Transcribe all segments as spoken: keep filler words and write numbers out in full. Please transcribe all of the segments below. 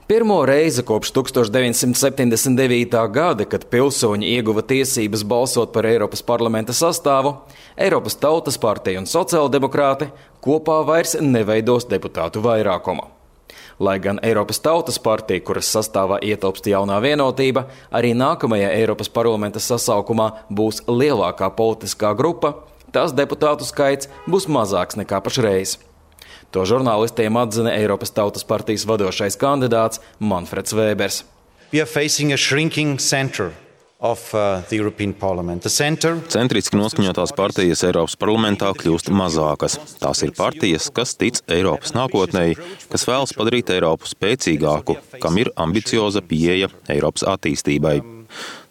Pirmo reizi kopš tūkstoš deviņsimt septiņdesmit devītā gada, kad pilsoņi ieguva tiesības balsot par Eiropas parlamenta sastāvu, Eiropas Tautas partija un sociāldemokrāti kopā vairs neveidos deputātu vairākumu. Lai gan Eiropas Tautas partija, kuras sastāvā ietilpst jaunā vienotība, arī nākamajā Eiropas parlamenta sasaukumā būs lielākā politiskā grupa, tās deputātu skaits būs mazāks nekā pašreiz. To žurnālistiem atzina Eiropas Tautas partijas vadošais kandidāts Manfreds Vēbers. We are facing a shrinking center of uh, the European Parliament. The center... Centriski noskaņotās partijas Eiropas parlamentā kļūst mazākas. Tās ir partijas, kas tic Eiropas nākotnei, kas vēlas padarīt Eiropu spēcīgāku, kam ir ambicioza pieeja Eiropas attīstībai.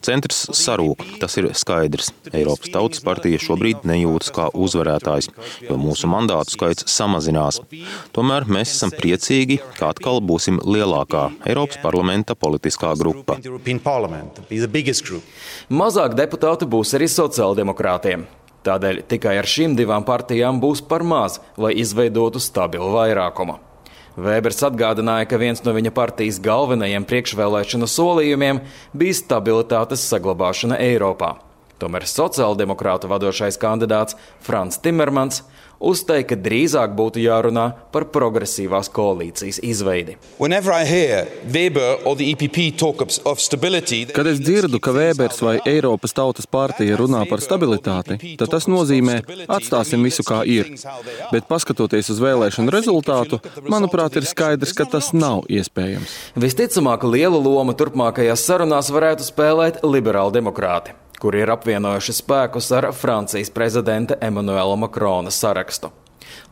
Centrs sarūk, tas ir skaidrs. Eiropas Tautas partija šobrīd nejūtas kā uzvarētājs, jo mūsu mandātu skaits samazinās. Tomēr mēs esam priecīgi, ka atkal būsim lielākā Eiropas parlamenta politiskā grupa. Mazāk deputāti būs arī sociāldemokrātiem. Tādēļ tikai ar šīm divām partijām būs par maz, lai izveidotu stabilu vairākumu. Vēbers atgādināja, ka viens no viņa partijas galvenajiem priekšvēlēšanu solījumiem bija stabilitātes saglabāšana Eiropā. Tomēr sociāldemokrātu vadošais kandidāts Frans Timermans uzteica, ka drīzāk būtu jārunā par progresīvās koalīcijas izveidi. Kad es dzirdu, ka Vēbers vai Eiropas Tautas partija runā par stabilitāti, tad tas nozīmē, atstāsim visu kā ir. Bet paskatoties uz vēlēšanu rezultātu, manuprāt, ir skaidrs, ka tas nav iespējams. Visticamāk, lielu lomu turpmākajās sarunās varētu spēlēt liberāli demokrāti, kuri ir apvienojuši spēkus ar Francijas prezidenta Emmanuela Macrona sarakstu.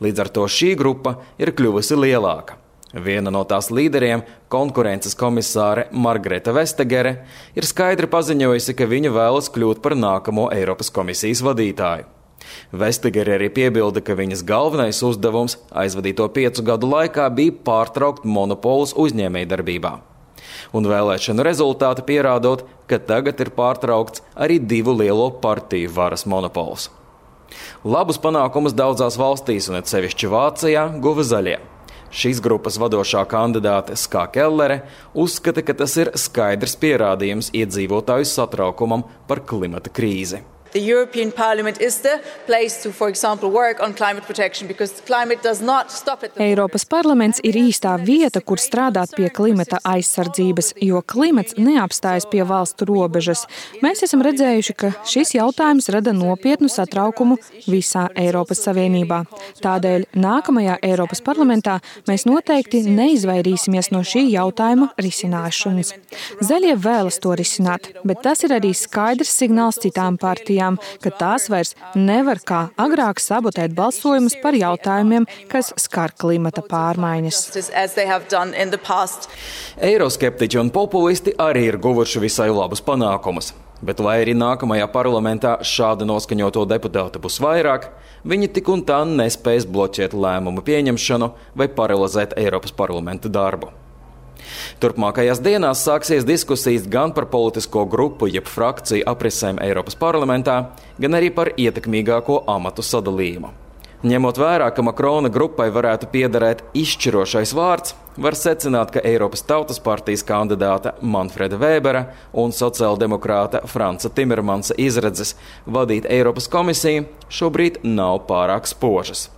Līdz ar to šī grupa ir kļuvusi lielāka. Viena no tās līderiem, konkurences komisāre Margrete Vestagerē, ir skaidri paziņojusi, ka viņa vēlas kļūt par nākamo Eiropas komisijas vadītāju. Vestagerē arī piebilda, ka viņas galvenais uzdevums aizvadīto piecu gadu laikā bija pārtraukt monopolus uzņēmējdarbībā. Un vēlēšanu rezultāti pierādot, ka tagad ir pārtraukts arī divu lielo partiju varas monopols. Labus panākumus daudzās valstīs, un it sevišķi Vācijā, guva zaļie. Šīs grupas vadošā kandidāte Ska Kellere uzskata, ka tas ir skaidrs pierādījums iedzīvotāju satraukumam par klimata krīzi. The European Parliament is the place to, for example, work on climate protection because climate does not stop at the... Eiropas parlaments ir īstā vieta, kur strādāt pie klimata aizsardzības, jo klimats neapstājas pie valstu robežas. Mēs esam redzējuši, ka šis jautājums rada nopietnu satraukumu visā Eiropas Savienībā. Tādēļ nākamajā Eiropas parlamentā mēs noteikti neizvairīsimies no šī jautājuma risināšanas. Zaļie vēlas to risināt, bet tas ir arī skaidrs signāls citām partijām, ka tās vairs nevar kā agrāk sabotēt balsojumus par jautājumiem, kas skar klimata pārmaiņas. Eiroskeptiķi un populisti arī ir guvuši visai labus panākumus. Bet lai arī nākamajā parlamentā šāda noskaņoto deputātu būs vairāk, viņi tik un tā nespēs bloķēt lēmumu pieņemšanu vai paralizēt Eiropas parlamenta darbu. Turpmākajās dienās sāksies diskusijas gan par politisko grupu, jeb frakciju aprisēm Eiropas parlamentā, gan arī par ietekmīgāko amatu sadalījumu. Ņemot vērā, ka Macrona grupai varētu piederēt izšķirošais vārds, var secināt, ka Eiropas Tautas partijas kandidāta Manfreda Vēbera un sociāldemokrāta Franca Timermansa izredzes vadīt Eiropas komisiju šobrīd nav pārāk spožas.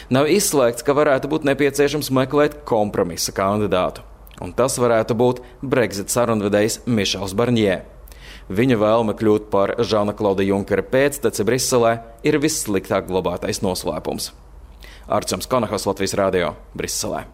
Nav izslēgts, ka varētu būt nepieciešams meklēt kompromisa kandidātu. Un tas varētu būt Brexit sarunvedējs Mišels Barņē. Viņa vēlme kļūt par Žana Klauda Junkera pēcteci Briselē ir vissliktāk glabātais noslēpums. Arčuns Konahos, Latvijas radio, Briselē.